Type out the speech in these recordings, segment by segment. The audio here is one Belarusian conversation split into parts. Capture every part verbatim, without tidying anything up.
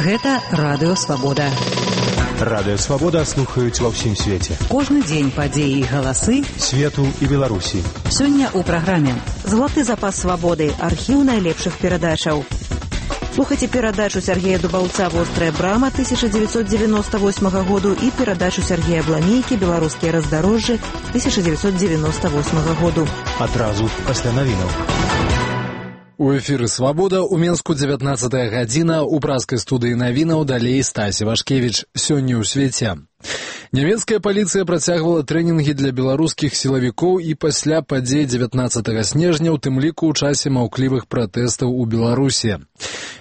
Гэта Радыё Свабода. Радыё Свабода слухаюць ва ўсім свеце. Кожны дзень падзеі і галасы свету і Беларусі. Сёння ў праграме «Златы запас свабоды» – архіў найлепшых перадачаў. Слухайце перадачу Сергея Дубаўца «Вострая брама» тысяча дзевяцьсот девяносто восьмага году і перадачу Сергея Бламейкі «Беларускія раздарожжы» тысяча дзевяцьсот девяносто восьмага году. Адразу пасля навінаў. У эфіры «Свабода» у Менску дзевятнаццатая гадзіна, у пражскай студыі навінаў далей Стасі Вашкевіч. Сёння ў свеце. Нямецкая паліцыя працягвала трэнінгі для беларускіх сілавікоў і пасля падзей дзевятнаццатага снежня, у тым ліку ў часе маўклівых пратэстаў у Беларусі.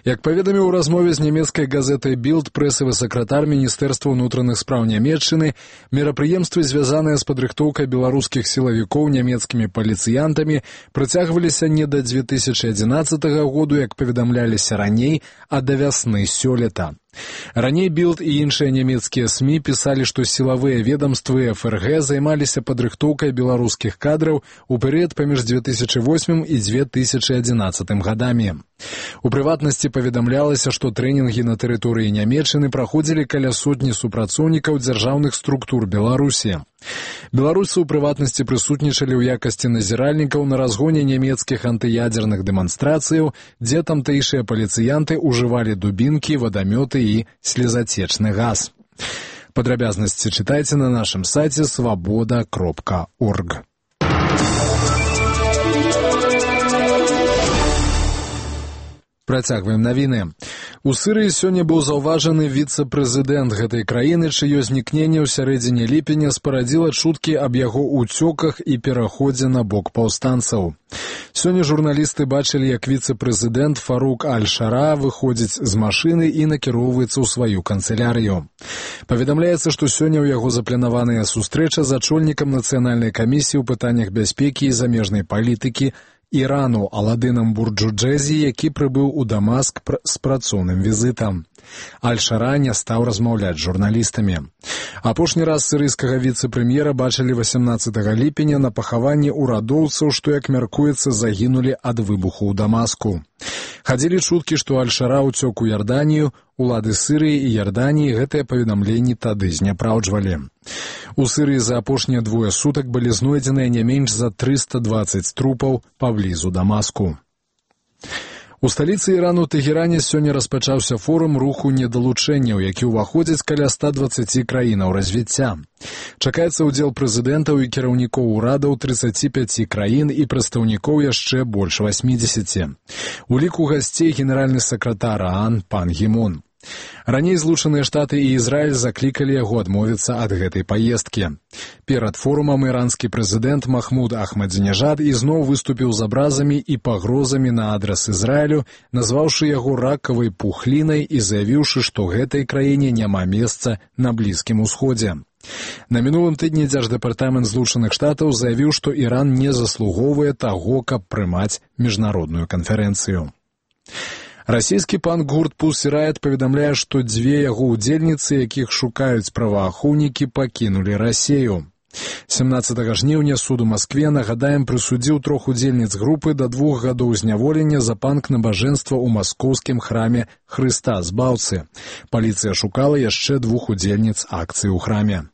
Як паведаміў у размове з нямецкай газетай «Білд» прэсавы сакратар Міністэрства ўнутраных спраў Нямецчыны, мерапрыемствы, звязаныя з падрыхтоўкай беларускіх сілавікоў нямецкімі паліцыянтамі, працягваліся не да дзве тысячы адзінаццатага году, як паведамляліся раней, а да вясны сёлета. Раней «Білд» і іншыя нямецкія СМІ пісалі, што сілавыя ведамствы эф эр гэ займаліся падрыхтоўкай беларускіх кадраў у перыяд паміж дзве тысячы восьмым і дзве тысячы адзінаццатым гадамі. У прыватнасці паведамлялася, што трэнінгі на тэрыторыі Нямецчыны праходзілі каля сотні супрацоўнікаў дзяржаўных структур Беларусі. Беларусы ў прыватнасці прысутнічалі ў якасці назіральнікаў на разгоне нямецкіх антыядзерных дэманстрацыяў, дзе тамтэйшыя паліцыянты ўжывалі дубінкі, вадамёты і слезацечны газ. Падрабязнасці чытайце на нашым сайце свабода кропка орг. Працягваем навіны. У Сырыі сёння быў заўважаны віцэ-прэзідэнт гэтай краіны, чыё знікненне ў сярэдзіне ліпеня спарадзіла чуткі аб яго ўцёках і пераходзе на бок паўстанцаў. Сёння журналісты бачылі, як віцэ-прэзідэнт Фарук Аль-Шара выходзіць з машыны і накіроўваецца ў сваю канцылярыю. Паведамляецца, што сёння ў яго запланаваная сустрэча з ачольнікам нацыянальнай камісіі ў пытаннях бяспекі і замежнай палітыкі Ірану Аладынам Бурджуджэзі, які прыбыў у Дамаск з працоўным візітам. Аль-Шара не стаў размаўляць з журналістамі. Апошні раз сірыйскага віцэ-прэм'ера бачылі васямнаццатага ліпеня на пахаванні ўрадоўцаў, што, як мяркуецца, загінулі ад выбуху ў Дамаску. Хадзілі чуткі, што Аль-Шара ўцёк у Ярданію, улады Сырыі і Ярданіі гэтыя паведамленні тады зняпраўджвалі. У Сырыі за апошнія двое сутак былі знойдзеныя не менш за трыста дваццаць трупаў паблізу Дамаску. У сталіцы Ірану Тэгеране сёння распачаўся форум руху недалучэнняў, які ўваходзіць каля ста дваццаці краінаў развіцця. Чакаецца ўдзел прэзідэнтаў і кіраўнікоў урадаў трыццаці пяці краін і прадстаўнікоў яшчэ больш васьмідзесяці. У ліку гасцей генеральны сакратар ААН пан Гі Мун. Раней Злучаныя Штаты і Ізраіль заклікалі яго адмовіцца ад гэтай паездкі. Перад форумам іранскі прэзідэнт Махмуд Ахмадзінежад ізноў выступіў з абразамі і пагрозамі на адрас Ізраілю, назваўшы яго ракавай пухлінай і заявіўшы, што гэтай краіне няма месца на Блізкім Усходзе. На мінулым тыдні дзярждэпартамент Злучаных Штатаў заявіў, што Іран не заслугоўвае таго, каб прымаць міжнародную канферэнцыю. Расійскі пан гурт Pussy Riot паведамляе, што дзве яго ўдзельніцы, якіх шукаюць праваахоўнікі, пакінулі Расею. сямнаццатага жніўня суд у Маскве, нагадаем, прысудзіў трох удзельніц групы да двух гадоў зняволення за панк-набажэнства ў маскоўскім храме Хрыста Збаўцы. Паліцыя шукала яшчэ двух удзельніц акцыі ў храме.